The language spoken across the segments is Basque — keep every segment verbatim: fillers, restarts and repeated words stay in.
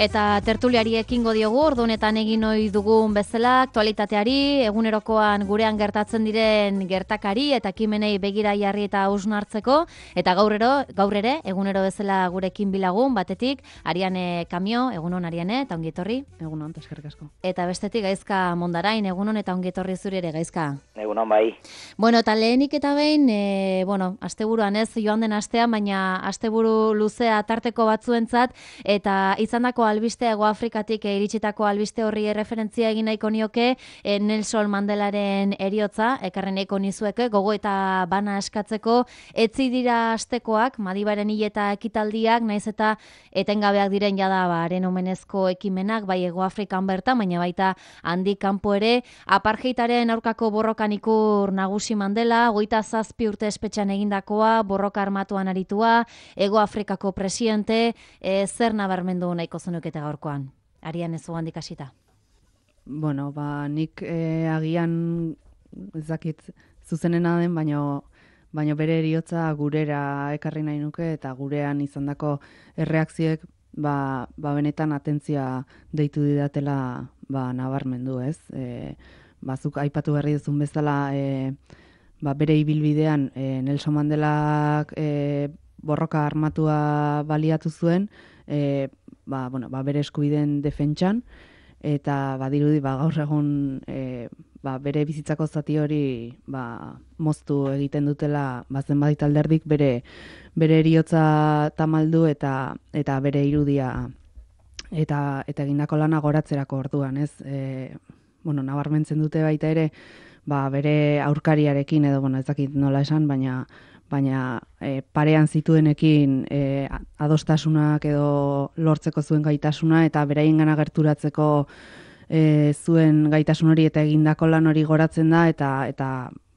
Eta tertuliari ekingo diogu, ordu honetan egin ohi dugun bezala, aktualitateari, egunerokoan gurean gertatzen diren gertakari eta ekimenei begira jarri eta hausnartzeko, eta gaurrero, gaur ere, egunero bezala gurekin bilagun, batetik, Ariane Kamio, egunon Ariane, eta ongi etorri. Egunon, eskerrik asko. Eta bestetik Gaizka Mondarain, egunon eta ongi etorri zuri ere, Gaizka. Egunon bai. Bueno, eta lehenik eta behin, e, bueno, asteburuan ez, joan den astean, baina asteburu luzea tarteko batzuentzat, eta izandako albiste Hego Afrikatik e, iritsitako albiste horri referentzia egin nahiko nioke e, Nelson Mandelaren heriotza, ekarren nahiko nizueke, gogo eta bana eskatzeko, etzi dira astekoak, Madibaren hil eta ekitaldiak, naiz eta etengabeak diren jada baren omenezko ekimenak, bai Hego Afrikan bertan, baina baita handik kanpo ere, apartheidaren aurkako borrokan ikur nagusi Mandela, hogeita zazpi urte espetxean egindakoa, borroka armatuan aritua, Hego Afrikako presidente, e, zer nabarmendu nahiko zenukete gaurkoan? Arian ez ugandik hasita. Bueno, ba, nik e, agian ez dakit zuzenena den, baino, baino bere eriotza gurera ekarri nahi nuke, eta gurean izandako erreakzioek ba, ba benetan atentzia deitu didatela ba, nabarmendu, ez? E, bazuk aipatu berri duzun bezala e, ba, bere ibilbidean e, Nelson Mandelak e, borroka armatua baliatu zuen, e, ba, bueno, ba, bere eskubideen defentsan, eta badirudi ba, gaur egun e, ba, bere bizitzako zati hori ba, moztu egiten dutela ba, zenbait alderdik bere, bere eriotza tamaldu eta, eta bere irudia eta, eta egindako lana goratzerako orduan, ez? E, bueno, nabarmentzen dute baita ere, ba, bere aurkariarekin, edo, bueno, ez dakit nola esan, baina baina e, parean zituenekin e, adostasunak edo lortzeko zuen gaitasuna, eta beraiengana gerturatzeko e, zuen gaitasun hori eta egindako lan hori goratzen da, eta eta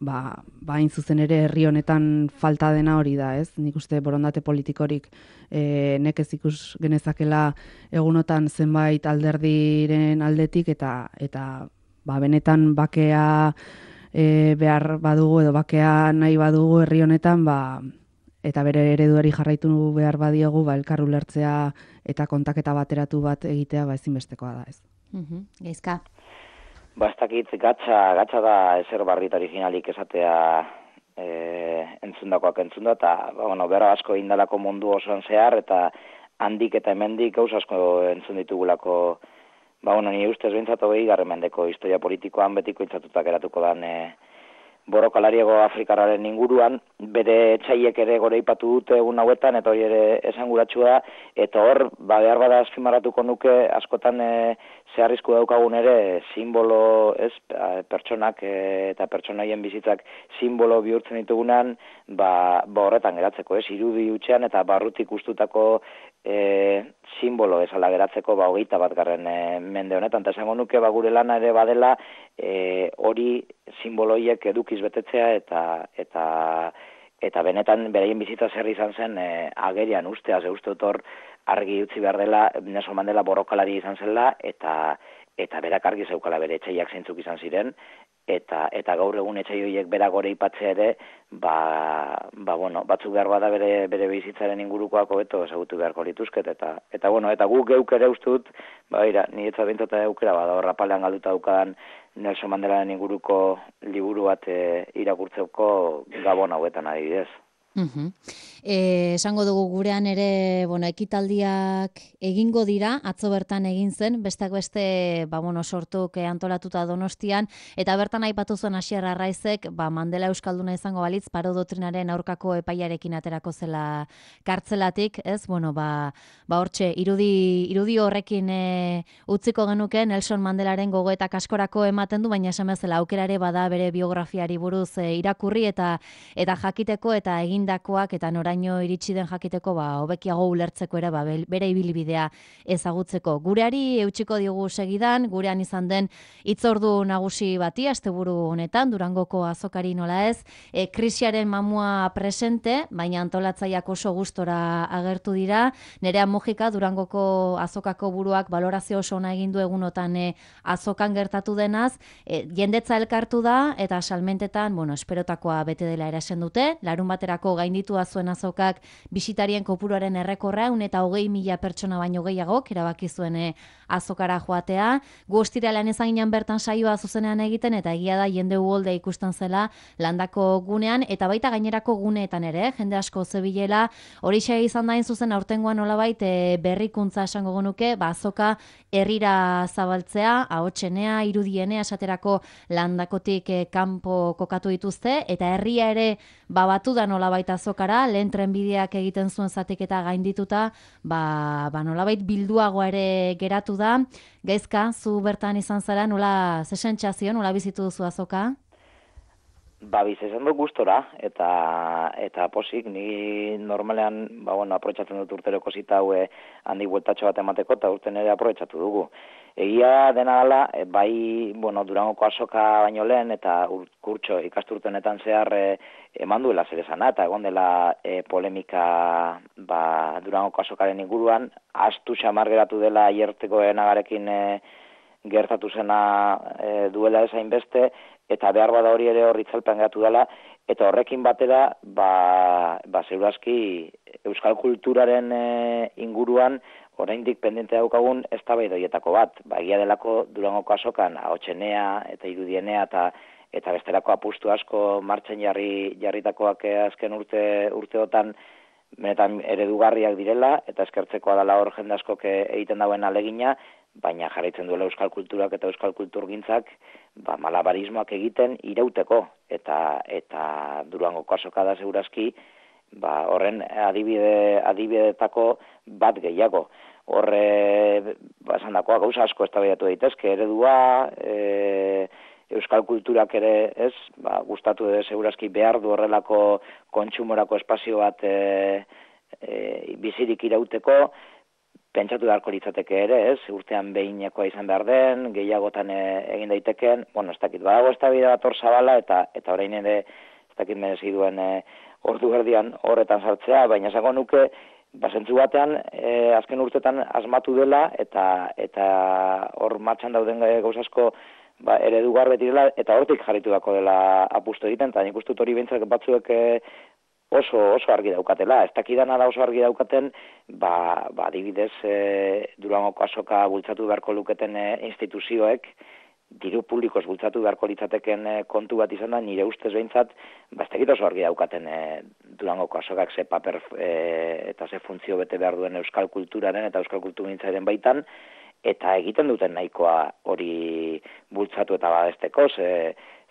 ba, ba hain zuzen ere herri honetan falta dena hori da, ez? Nik uste borondate politikorik e, nekez ikus genezakela egunotan zenbait alderdiren aldetik, eta eta ba, benetan bakea E, behar badugu edo bakea nahi badugu herri honetan, ba, eta bere ereduari jarraitu behar badiogu, ba, elkar ulertzea eta kontaketa bateratu bat egitea ba, ezinbestekoa da, ez. Uh-huh. Gaizka. Ba, ez dakit, gatsa, gatsa da ezer barrit originalik esatea e, entzundakoak entzunda, eta ba, bueno, bera asko indalako mundu osoan zehar, eta handik eta hemendik gauz asko entzun ditugulako. Ba, bueno, ni ustez behintzatu behi garren mendeko historia politikoan betiko intzatutak eratuko dan e, borrokalariego Afrikararen inguruan, bere etxaiek ere gore ipatu dute egun hauetan, eta hori ere esanguratsua da, eta hor, ba, behar bada azpimarratuko nuke, askotan e, zeharrizko daukagun ere, simbolo, ez, pertsonak e, eta pertsonaien bizitzak simbolo bihurtzen ditugunan, ba, ba horretan geratzeko, ez, irudi hutsean eta barrutik ustutako E, simbolo esala geratzeko ba, hogeita bat garren e, mende honetan, eta esango nuke ba, gure lana ere badela e, hori simboloiek edukiz betetzea eta eta eta benetan beraien bizitza zer izan zen e, agerian ustea, ze uste dut hor argi utzi behar dela Nelson Mandela borrokalari izan zela, eta eta berak argi zeukala bere etxaiak zeintzuk izan ziren, eta eta gaur egun etxai horiek bera gore ipatzea ere, ba, ba bueno, batzuk behar bada bere bere bizitzaren ingurukoak hobeto ezagutu beharko lituzket, eta eta bueno, eta guk geuk ere uste dut, ba ira, ni etza behintzata aukera bada hor rapalean galduta daukadan Nelson Mandelaren inguruko liburu bat e, irakurtzeko Gabon hauetan adibidez. Uh-huh. E, esango dugu gurean ere, bueno, ekitaldiak egingo dira, atzo bertan egin zen, besteak beste, ba, bueno, sortuk antolatuta Donostian, eta bertan aipatu zuen Asier Arraizek, ba, Mandela euskalduna izango balitz, paro doktrinaren aurkako epaiarekin aterako zela kartzelatik, ez? Bueno, ba, ba hortxe, irudi, irudi horrekin e, utziko genuke, Nelson Mandelaren gogoetak askorako ematen du, baina esan bezala aukerare bada bere biografiari buruz e, irakurri eta eta jakiteko eta egin dakoak eta noraino iritsi den jakiteko ba hobekiago ulertzeko ere ba bere ibilbidea ezagutzeko. Gureari eutsiko diogu segidan, gurean izan den hitzordu nagusi bati asteburu honetan Durangoko azokari nola ez, e, krisiaren mamua presente, baina antolatzaileak oso gustora agertu dira. Nerea Mujika Durangoko azokako buruak balorazio oso ona egin du egunotan e, azokan gertatu denaz, e, jendetza elkartu da eta salmentetan, bueno, esperotakoa bete dela erasen dute. Larun baterako gainditua zuen azokak bisitarien kopuruaren errekorra, eta hogei mila pertsona baino gehiagok erabaki zuen e, azokara joatea. Gu ostiralean ezaginan bertan saioa zuzenean egiten, eta egia da jende uholde ikusten zela landako gunean, eta baita gainerako guneetan ere, jende asko zebilela, horixe izan dain zuzen aurtengoan nolabait e, berrikuntza esango genuke, ba, azoka herrira zabaltzea, ahotsenea, irudienea, esaterako landakotik e, kanpo kokatu dituzte, eta herria ere babatu da nolabait azokara, lehen trenbideak egiten zuen zatiketa gaindituta, ba, ba nolabait bilduago ere geratu da. Gaizka, zu bertan izan zara, nola zesentxazio, nola bizitu duzu azoka? Ba, bizitzen dut gustora, eta eta posik, ni normalean, ba, bueno, aprobetxatzen dut urteroko zita haue handi bueltatxo bat emateko, eta urten ere aprobetxatu dugu. Egia dena dela, bai, bueno, Durangoko azoka baino lehen, eta kurtso ikasturtenetan zehar e, eman duela zer esana, eta egon dela e, polemika ba, Durangoko azokaren inguruan, astu xamar geratu dela aierteko enagarekin e, gertatu zena e, duela ezain beste, eta behar bada hori ere hor itzalpean geratu dela, eta horrekin batera, ba, ba zeurazki euskal kulturaren e, inguruan, oraindik pendente daukagun eztabaidoietako bat. Ba, egia delako Durangoko azokan ahotsenea eta irudienea eta eta besterako apustu asko martxan jarri jarritakoak azken urte urteotan benetan eredugarriak direla, eta eskertzekoa dela hor jende askok egiten dauen alegina, baina jarraitzen duela euskal kulturak eta euskal kulturgintzak ba, malabarismoak egiten irauteko, eta eta Durangoko azoka da segurazki ba, horren adibide, adibidetako bat gehiago. Horre, ba, esan dakoa, gauza asko eztabaidatu daitezke, eredua, e, euskal kulturak ere, ez, ba, gustatu edo segurazki behar du horrelako kontsumorako espazio bat e, e, bizirik irauteko, pentsatu beharko litzateke ere, ez, urtean behinekoa izan behar den, gehiagotan e, egin daiteken, bueno, ez dakit, badago eztabaida bat hor zabala, eta, eta orain ere, ez dakit merezi duen e, ordu erdian horretan sartzea, baina esango nuke, basentzu batean, e, azken urtetan asmatu dela, eta eta hor martxan dauden gauzasko ba, eredugar betirela, eta hortik jarritu dako dela apustu egiten, eta nik ustut hori behintzak batzuek e, oso oso argi daukatela. Ez dakidana da oso argi daukaten, ba, ba adibidez e, Durangoko azoka bultzatu beharko luketen e, instituzioek, diru publikoz bultzatu beharko litzateken e, kontu bat izan da, nire ustez behintzat, ba, ez dakit oso argi daukaten e, Durangoko azokak ze paper e, eta ze funtzio bete behar duen euskal kulturaren eta euskal kulturgintzaren baitan, eta egiten duten nahikoa hori bultzatu eta badesteko, ze,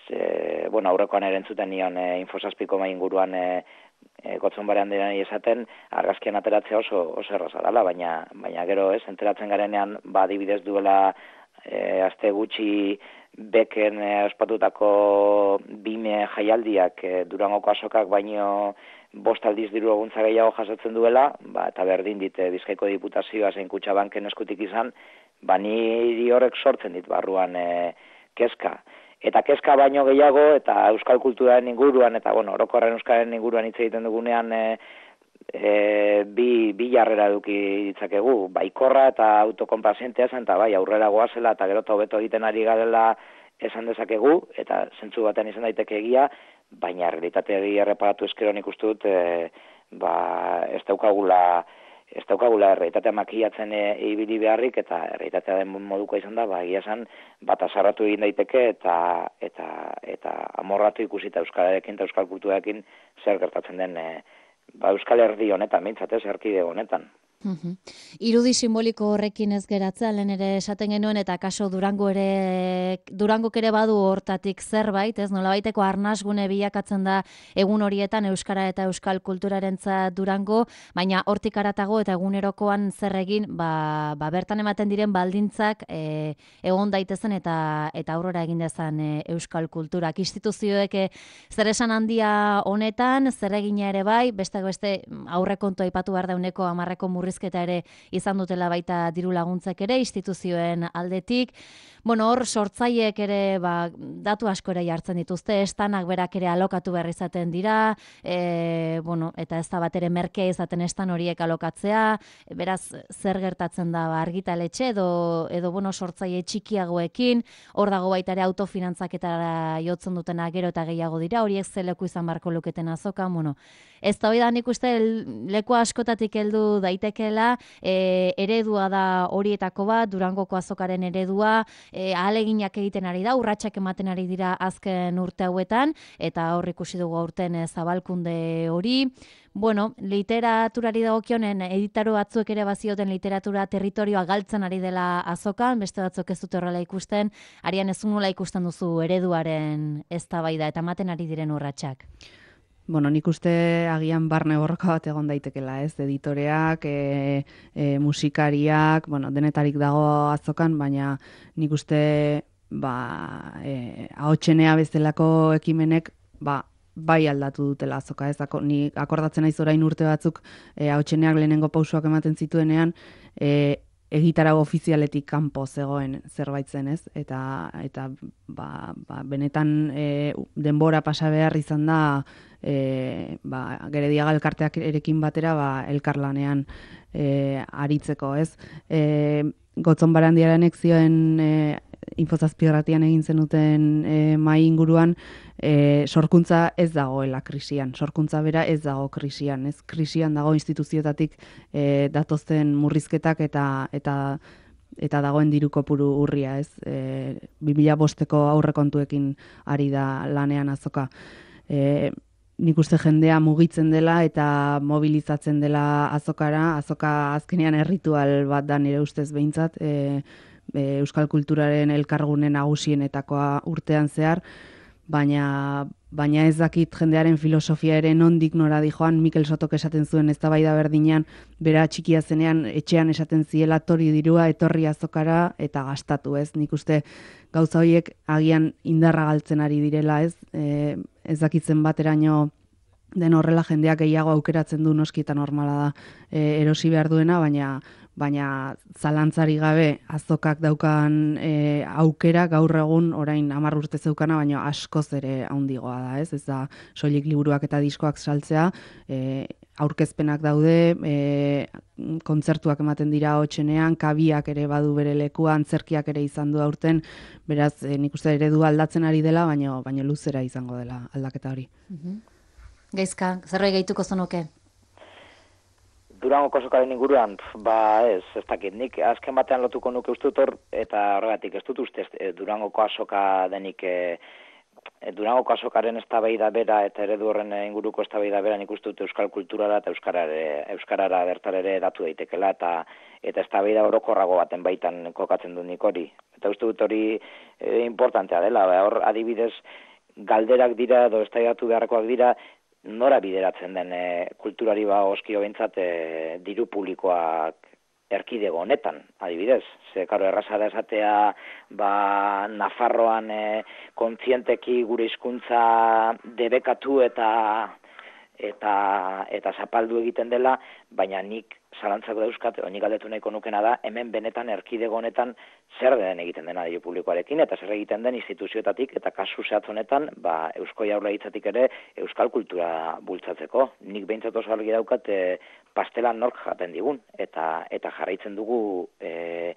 ze bueno, aurrekoan ere entzuten nion e, infosazpiko mai inguruan e, e, gotzon barean direnei esaten, argazkian ateratzea oso, oso erraza dela, baina, baina gero ez, enteratzen garenean, ba, adibidez duela E, azte gutxi beken e, ospatutako bime jaialdiak e, Durangoko azokak baino bost aldiz diru laguntza gehiago jasotzen duela, ba, eta berdin dit e, Bizkaiko Diputazioa zein Kutxabanken eskutik izan, ba niri horrek sortzen dit barruan e, kezka. Eta kezka baino gehiago, eta euskal kulturaren inguruan, eta bueno, orokorren euskaren inguruan hitz egiten dugunean, e, E, bi, bi jarrera eduki ditzakegu, baikorra eta autokonpazientea zen, eta bai, aurrera goazela eta gero eta hobeto egiten ari garela esan dezakegu, eta zentzu batean izan daiteke egia, baina realitatea egia erreparatu eskero nik uste dut, e, ba, ez daukagula, ez daukagula errealitatea makiatzen e, ibili beharrik, eta errealitatea den moduko izan da, ba, egia esan, bat azarratu egin daiteke, eta, eta, eta amorratu ikusita euskalarekin eta euskal kulturarekin zer gertatzen den, e, ba, Euskal Herri honetan, mintzatez, erkide honetan. Uhum. Irudi simboliko horrekin ez geratzea, lehen ere esaten genuen, eta kaso Durango ere, Durangok ere badu hortatik zerbait, ez nolabaiteko arnasgune bilakatzen da egun horietan euskara eta euskal kulturarentzat Durango, baina hortik aratago eta egunerokoan zer egin, ba, ba bertan ematen diren baldintzak e, egon daitezen eta eta aurrera egin dezan e, euskal kulturak. Instituzioek e, zer esan handia honetan, zer egina ere bai, besteak beste aurrekontu aipatu behar dauneko hamarreko murrizketa murrizketa ere izan dutela baita diru laguntzek ere instituzioen aldetik. Bueno, hor sortzaileek ere ba, datu asko ere jartzen dituzte, estanak berak ere alokatu behar izaten dira, e, bueno, eta ez da bat ere merkea izaten estan horiek alokatzea, beraz zer gertatzen da ba, argitaletxe edo, edo bueno, sortzaile txikiagoekin, hor dago baita ere autofinantzaketara jotzen dutena gero eta gehiago dira, horiek ze leku izan barko luketen azokan, bueno, ez da hori da nik uste leku askotatik heldu daitekeela, e, eredua da horietako bat, Durangoko azokaren eredua, e, ahaleginak egiten ari da, urratsak ematen ari dira azken urte hauetan, eta hor ikusi dugu aurten e, zabalkunde hori. Bueno, literaturari dagokionen editaro batzuek ere bazioten literatura territorioa galtzen ari dela azokan, beste batzuk ez dute horrela ikusten, arian ez nola ikusten duzu ereduaren eztabaida eta ematen ari diren urratsak. Bueno, nik uste agian barne borroka bat egon daitekela, ez? Editoreak, e, e, musikariak, bueno, denetarik dago azokan, baina nik uste ba, e, ahotsenea bezalako ekimenek ba, bai aldatu dutela azoka, ez? Ako, ni akordatzen naiz orain urte batzuk e, ahotseneak lehenengo pausoak ematen zituenean, e, egitarau ofizialetik kanpo zegoen zerbait zen, ez? Eta, eta ba, ba, benetan e, denbora pasa behar izan da e, ba, Gerediaga elkarteak erekin batera ba, elkarlanean e, aritzeko, ez? E, Gotzon Barandiaranek zioen e, Infozazpirratian egin zenuten e, mai inguruan, e, sorkuntza ez dagoela krisian, sorkuntza bera ez dago krisian, ez? Krisian dago instituzioetatik e, datozten murrizketak eta eta eta dagoen diru kopuru urria, ez? E, bi mila bosteko aurrekontuekin ari da lanean azoka. E, nik uste jendea mugitzen dela eta mobilizatzen dela azokara, azoka azkenean erritual bat da nire ustez behintzat, e, Euskal kulturaren elkargune nagusienetakoa urtean zehar, baina, baina ez dakit jendearen filosofia ere nondik nora dijoan. Mikel Sotok esaten zuen eztabaida berdinean, bera txikia zenean etxean esaten ziela tori dirua etorri azokara eta gastatu, ez? Nik uste gauza horiek agian indarra galtzen ari direla, ez? E, ez dakitzen bateraino den horrela jendeak gehiago aukeratzen du, noski eta normala da e, erosi behar duena, baina baina zalantzari gabe azokak daukan e, aukera gaur egun orain hamar urte zeukana, baina askoz ere handigoa da, ez? Ez da soilik liburuak eta diskoak saltzea, e, aurkezpenak daude, e, kontzertuak ematen dira hotsenean, kabiak ere badu bere lekua, antzerkiak ere izan du aurten, beraz e, nik uste eredu aldatzen ari dela, baina baina luzera izango dela aldaketa hori. Mhm. Gaizka, zerbait gehituko zenuke? Durangoko azokaren inguruan, ba ez, ez dakit, nik azken batean lotuko nuke uste dut hor, eta horregatik ez dut uste e, Durangoko azoka denik, e, e, Durangoko azokaren eztabaida bera eta eredu horren inguruko eztabaida bera nik uste dut euskal kulturara eta euskarara, euskarara bertar ere datu daitekela, eta eta eztabaida orokorrago baten baitan kokatzen du nik hori. Eta uste dut hori e, importantea dela, ba, hor adibidez galderak dira edo eztabaidatu beharrekoak dira, nora bideratzen den e, kulturari ba oskio behintzat e, diru publikoak erkidego honetan, adibidez. Ze, karo, erraza da esatea, ba, Nafarroan e, kontzienteki gure hizkuntza debekatu eta eta eta zapaldu egiten dela, baina nik zalantzak dauzkat, nik galdetu nahiko nukena da, hemen benetan erkidego honetan zer den egiten dena diru publikoarekin, eta zer egiten den instituzioetatik, eta kasu zehatz honetan, ba, Eusko Jaurlaritzatik ere euskal kultura bultzatzeko. Nik behintzat oso argi daukat e, pastelan nork jaten digun, eta eta jarraitzen dugu e,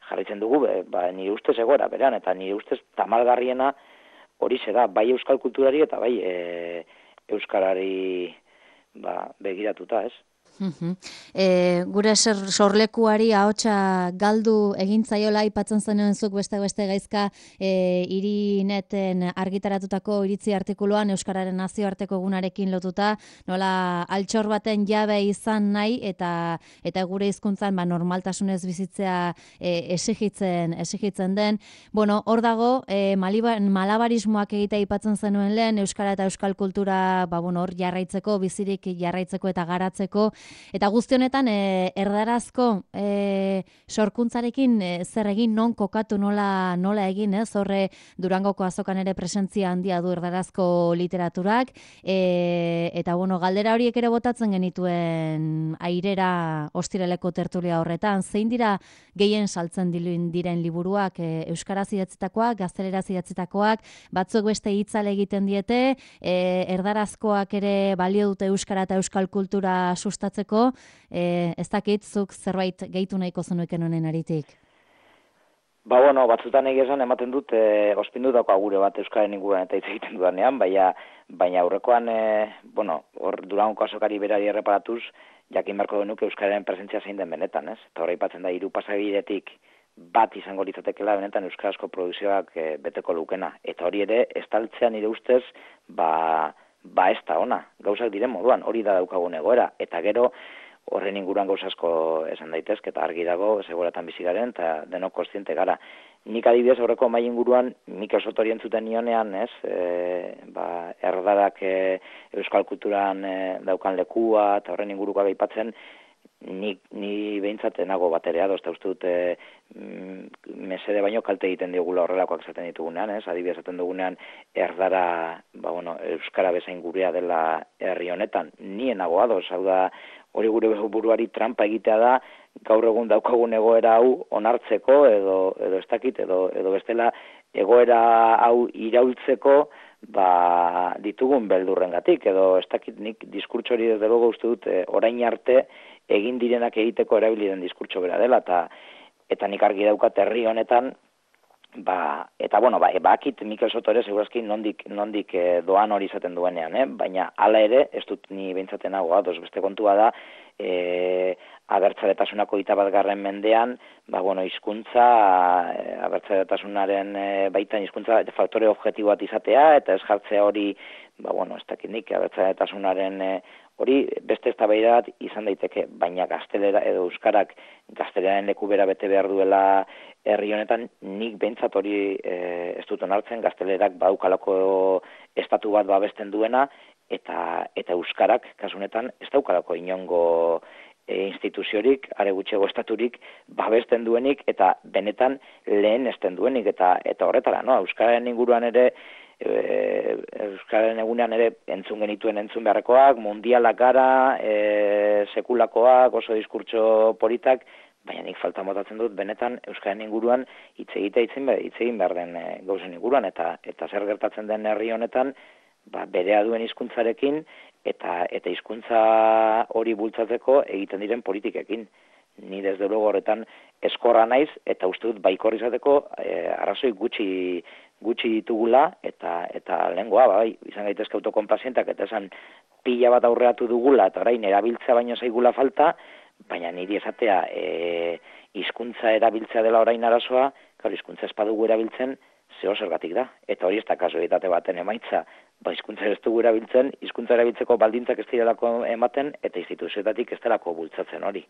jarraitzen dugu, e, ba, nire ustez egoera berean, eta nire ustez tamalgarriena horixe da, bai euskal kulturari eta bai e, euskarari ba, begiratuta, ez? Uh-huh. E, gure ser, sorlekuari ahotsa galdu egintzaiola aipatzen zenuen zuk beste beste gaizka e, irineten argitaratutako iritzi artikuluan euskararen nazioarteko egunarekin lotuta, nola altxor baten jabe izan nahi eta eta gure hizkuntzan ba normaltasunez bizitzea e, exigitzen exigitzen den. Bueno, hor dago e, malabarismoak egitea aipatzen zenuen lehen euskara eta euskal kultura ba bueno, hor jarraitzeko, bizirik jarraitzeko eta garatzeko. Eta guzti honetan, e, erdarazko e, sorkuntzarekin e, zer egin, non kokatu, nola, nola egin, ez? Horre Durangoko azokan ere presentzia handia du erdarazko literaturak, e, eta bueno, galdera horiek ere botatzen genituen airera ostiraleko tertulia horretan, zein dira gehien saltzen diren liburuak, e, euskaraz idatzitakoak, gazteleraz idatzitakoak, batzuk beste hitzale egiten diete, e, erdarazkoak ere balio dute euskara eta euskal kultura sustatzeko, e, ez dakit zuk zerbait gehitu nahiko zenuken honen aritik. Ba, bueno, batzutan egizan ematen dut, e, ospindutako agure bat euskaren inguruan eta hitz egiten dudanean, baina, baina aurrekoan, e, bueno, hor Durangoko azokari berari erreparatuz, jakin beharko genuke euskararen presentzia zein den benetan, ez? Eta hori aipatzen da, hiru pasabidetik bat izango litzatekeela benetan euskarazko produkzioak e, beteko lukena. Eta hori ere, estaltzea nire ustez, ba, ba ez da ona, gauzak diren moduan, hori da daukagun egoera. Eta gero, horren inguruan gauzasko esan daitezke, eta argi dago, seguratan bizi garen, eta denok kontziente gara. Nik adibidez horreko mai inguruan, Mikel Sotori entzuten nionean, ez, e, ba, erdarak e, euskal kulturan e, daukan lekua, eta horren inguruko aipatzen, Ni, ni behintzate nago baterea, dozta uste dute mm, mesede baino kalte egiten digula horrelakoak esaten ditugunean, ez? Adibidez esaten dugunean erdara, ba, bueno, euskara bezain gurea dela herri honetan, nien nago ados, hau da, hori gure buruari trampa egitea da, gaur egun daukagun egoera hau onartzeko, edo, edo ez dakit, edo, edo bestela egoera hau iraultzeko, ba, ditugun beldurrengatik, edo ez dakit nik diskurtso hori desde logo uste dut, e, orain arte egin direnak egiteko erabili den diskurtso bera dela, eta eta nik argi daukat herri honetan, ba, eta bueno, ba, bakit Mikel Soto ere segurazki nondik, nondik e, doan hori izaten duenean, eh? Baina hala ere, ez dut ni beintzaten nago, ados, beste kontua da, e, abertzaletasunako hogeita batgarren mendean, ba, bueno, hizkuntza, e, abertzaletasunaren e, baitan hizkuntza faktore objektibo bat izatea, eta ez jartzea hori, ba, bueno, ez dakit nik, abertzaletasunaren e, hori beste eztabaida bat izan daiteke, baina gaztelera edo euskarak gazteleraren leku bera bete behar duela herri honetan, nik behintzat hori e, ez dut onartzen, gaztelerak badaukalako estatu bat babesten duena, eta eta euskarak, kasu honetan, ez daukalako inongo e, instituziorik, are gutxiago estaturik babesten duenik, eta benetan lehen esten duenik, eta eta horretara, no? Euskararen inguruan ere, Euskararen egunean ere entzun genituen entzun beharrekoak, mundialak gara, e, sekulakoak, oso diskurtso politak, baina nik falta motatzen dut benetan Euskararen inguruan hitz egitea hitz egin behar den e, gauzen inguruan, eta eta zer gertatzen den herri honetan, ba, berea duen hizkuntzarekin eta eta hizkuntza hori bultzatzeko egiten diren politikekin. Ni desde luego horretan eskorra naiz, eta uste dut baikor izateko e, arrazoi gutxi gutxi ditugula, eta eta lehengoa, bai, izan gaitezke autokonplazientak, eta esan pila bat aurreatu dugula, eta orain erabiltza baino zaigula falta, baina niri esatea e, hizkuntza erabiltzea dela orain arazoa, claro, hizkuntza ez badugu erabiltzen, zeo zergatik da. Eta hori ez da kasualitate baten emaitza, ba, hizkuntza ez dugu erabiltzen, hizkuntza erabiltzeko baldintzak ez direlako ematen, eta instituzioetatik ez delako bultzatzen hori.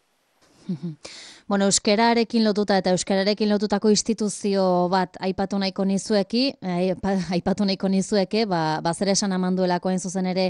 Bueno, euskararekin lotuta eta euskararekin lotutako instituzio bat aipatu nahiko nizueki, aipatu nahiko nizueke, ba, ba zer esan amanduelako hain zuzen ere,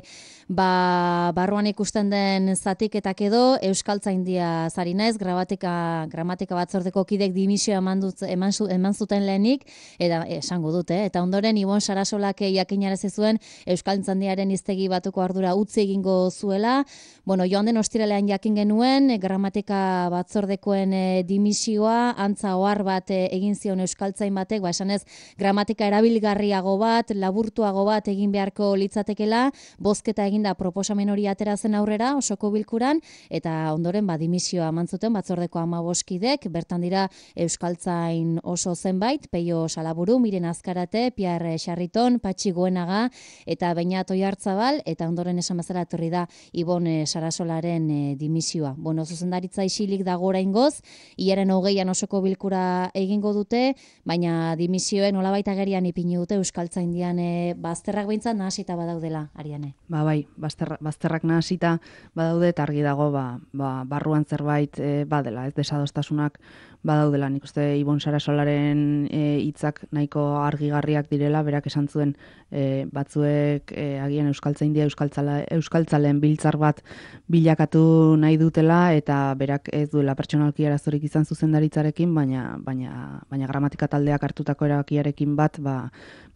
ba, barruan ikusten den zatiketak edo, Euskaltzaindia zari naiz, gramatika, gramatika batzordeko kidek dimisio eman, dut, eman, eman zuten lehenik, eta esango dute, eta ondoren Ibon Sarasolak jakinarazi zuen Euskaltzaindiaren hiztegi batuko ardura utzi egingo zuela, bueno, joan den ostiralean jakin genuen, gramatika batzordekoen e, dimisioa, antza ohar bat e, egin zion euskaltzain batek, ba esanez gramatika erabilgarriago bat, laburtuago bat egin beharko litzatekela, bozketa eginda proposamen hori atera zen aurrera osoko bilkuran, eta ondoren ba dimisioa eman zuten batzordeko hamabost kidek, bertan dira euskaltzain oso zenbait, Peio Salaburu, Miren Azkarate, Pierre Xarriton, Patxi Goenaga, eta Beñat Oiartzabal, eta ondoren esan bezala etorri da Ibon e, Sarasolaren e, dimisioa. Bueno, zuzendaritza isilik dago oraingoz, gaurkoz, hilaren hogeian osoko bilkura egingo dute, baina dimisioen nolabait agerian ipini dute Euskaltzaindian e, bazterrak behintzat nahasita badaudela, Ariane. Ba bai, bazterra, bazterrak nahasita badaude eta argi dago ba, ba, barruan zerbait e, badela, ez desadostasunak badaudela. Nik uste Ibon Sarasolaren hitzak nahiko argigarriak direla, berak esan zuen e, batzuek e, agian Euskaltzaindia Euskaltzala, Euskaltzaleen biltzar bat bilakatu nahi dutela eta berak ez duela pertsonalki arazorik izan zuzendaritzarekin, baina baina baina gramatika taldeak hartutako erabakiarekin bat ba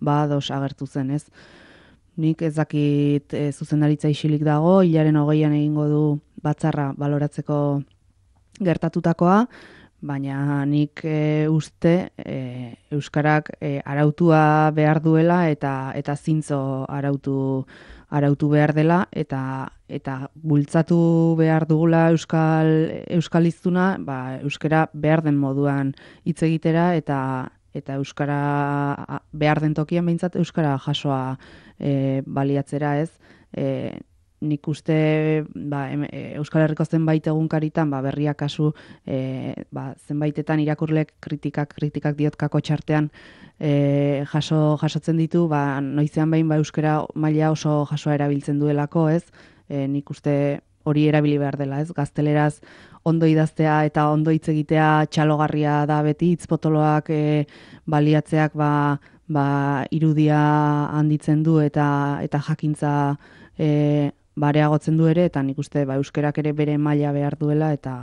ba ados agertu zen, ez? Nik ez dakit e, zuzendaritza isilik dago, hilaren hogeian egingo du batzarra baloratzeko gertatutakoa, baina nik e, uste e, Euskarak e, arautua behar duela eta eta zintzo arautu arautu behar dela eta eta bultzatu behar dugula euskal euskaliztuna, ba euskara behar den moduan hitz egitera eta eta euskara behar den tokian behintzat euskara jasoa e, baliatzera, ez? E, nik uste ba, Euskal Herriko zenbait egunkaritan ba, berriak kasu e, ba, zenbaitetan irakurlek kritikak kritikak diotkako txartean e, jaso jasotzen ditu, ba, noizean behin ba, euskara maila oso jasoa erabiltzen duelako, ez? E, nik uste hori erabili behar dela, ez? Gazteleraz ondo idaztea eta ondo hitz egitea txalogarria da beti, hitz potoloak e, baliatzeak ba, ba, irudia handitzen du eta eta jakintza e, bareagotzen du ere, eta nik uste ba, euskerak ere bere maila behar duela eta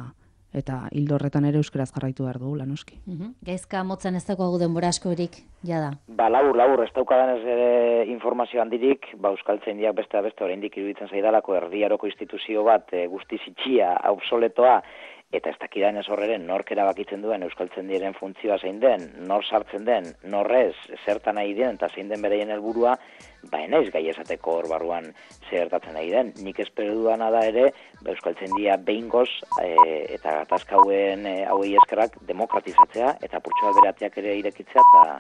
eta hildo horretan ere euskeraz jarraitu behar dugu, noski. Uh-huh. Gaizka motzen ez dago denbora askorik, jada. Ba, labur, labur, ez daukadan ez ere informazio handirik, ba, Euskaltzaindiak beste beste oraindik iruditzen zaidalako erdiaroko instituzio bat e, guztiz itxia, obsoletoa, eta ez dakidan ez horreren nork erabakitzen duen Euskaltzaindiaren funtzioa zein den, nor sartzen den, norrez, zertan nahi den, eta zein den bereien helburua, ba enaiz gai esateko hor barruan zertatzen nahi den. Nik espero dudana da ere, ba, Euskaltzaindia behingoz e, eta gatazka hauen e, hauei eskerrak demokratizatzea eta purtsu berateak ere irekitzea eta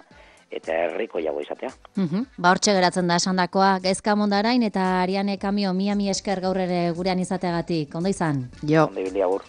eta herriko jago izatea. Uh-huh. Ba hortxe geratzen da esandakoa, Gaizka Mondarain eta Ariane Kamio mia mi esker gaur ere gurean izateagatik. Ondo izan? Jo. Ondo ibili agur.